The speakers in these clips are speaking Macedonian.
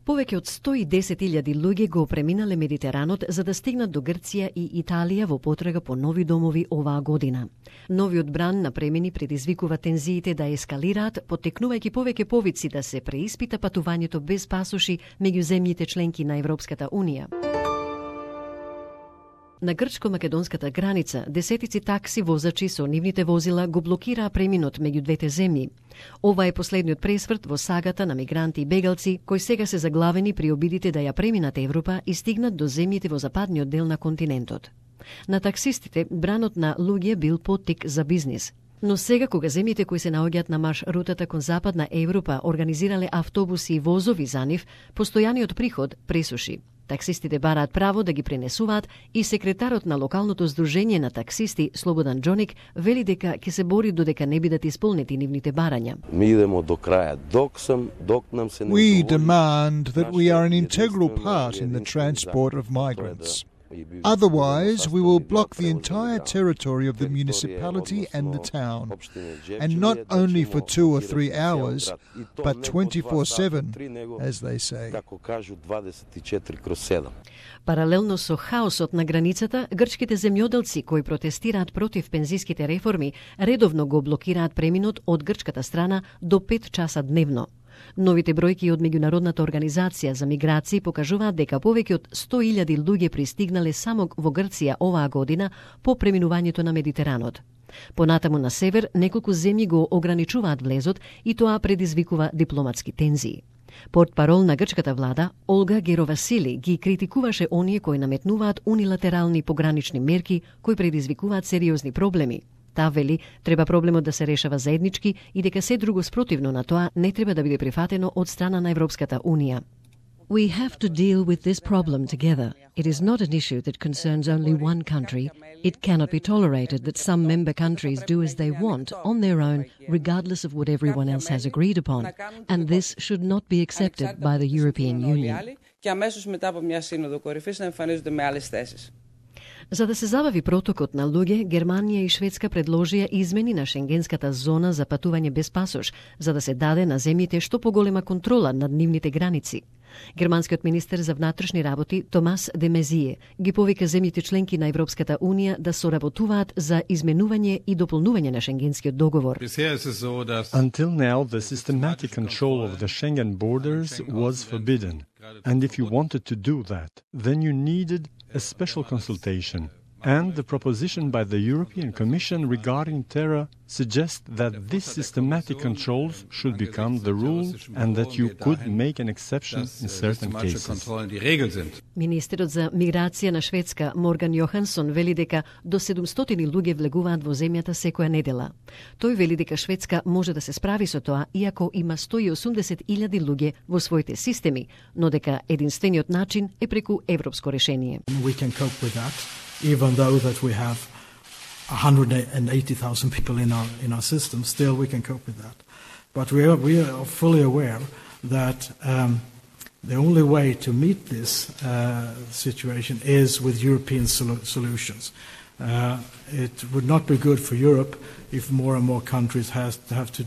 Повеќе од 110.000 луѓе го преминале Медитеранот за да стигнат до Грција и Италија во потрага по нови домови оваа година. Новиот бран на премини предизвикува тензиите да ескалираат, поттекнувајќи повеќе повици да се преиспита патувањето без пасоши меѓу земјите членки на Европската Унија. На грчко-македонската граница, десетици такси возачи со нивните возила го блокираа преминот меѓу двете земји. Ова е последниот пресврт во сагата на мигранти и бегалци, кои сега се заглавени при обидите да ја преминат Европа и стигнат до земјите во западниот дел на континентот. На таксистите, бранот на луѓе бил поттик за бизнис. Но сега, кога земјите кои се наоѓаат на маршрутата кон западна Европа организирале автобуси и возови за нив, постојаниот приход пресуши. Таксистите бараат право да ги пренесуваат и секретарот на локалното здружение на таксисти Слободан Џоник вели дека ќе се бори додека не бидат исполнети нивните барања. Ми идемо до краја, док нам се не We demand that we are an integral part in the transport of migrants. Otherwise, we will block the entire territory of the municipality and the town, and not only for 2 or 3 hours, but 24/7, as they say. Паралелно со хаосот на границата, грчките земјоделци кои протестираат против пензиските реформи редовно го блокираат преминот од грчката страна до 5 часа дневно. Новите бројки од Меѓународната организација за миграции покажуваат дека повеќе од 100.000 луѓе пристигнале само во Грција оваа година по преминувањето на Медитеранот. Понатаму на север, неколку земји го ограничуваат влезот и тоа предизвикува дипломатски тензии. Портпарол на грчката влада, Олга Геровасили, ги критикуваше оние кои наметнуваат унилатерални погранични мерки кои предизвикуваат сериозни проблеми. Таа вели, треба проблемот да се решава заеднички и дека се друго спротивно на тоа не треба да биде прифатено од страна на Европската Унија. We have to deal with this problem together. It is not an issue that concerns only one country. It cannot be tolerated that some member countries do as they want on their own, regardless of what everyone else has agreed upon. And this should not be accepted by the European Union. За да се забави протокот на луѓе, Германија и Шведска предложија измени на шенгенската зона за патување без пасош, за да се даде на земјите што поголема контрола над нивните граници. Германскиот министер за внатрешни работи Томас де Мезие ги повика земјите членки на Европската Унија да соработуваат за изменување и дополнување на шенгенскиот договор. Until now, the systematic control of the Schengen borders was forbidden. And if you wanted to do that, then you needed a special consultation. And the proposition by the European Commission regarding terror suggests that these systematic controls should become the rule and that you could make an exception in certain cases. Министерот за миграција на Шведска Морган Јохансон вели дека до 700 луѓе влегуваат во земјата секоја недела. Тој вели дека Шведска може да се справи со тоа иако има 180.000 луѓе во своите системи, но дека единствениот начин е преку европско решение. We can cope with that. Even though that we have 180,000 people in our system, still we can cope with that. But we are fully aware that the only way to meet this situation is with European solutions. It would not be good for Europe if more and more countries have to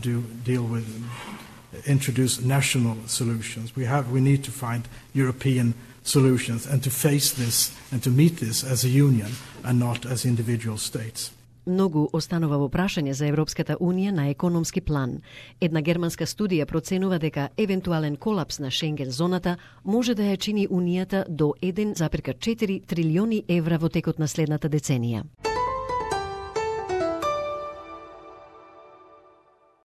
introduce national solutions. We need to find European solutions and to face this and to meet this as a union and not as individual states. Многу останува во прашање за Европската Унија на економски план. Една германска студија проценува дека евентуален колапс на Шенген зоната може да ја чини Унијата до 1,4 трилиони евра во текот на следната деценија.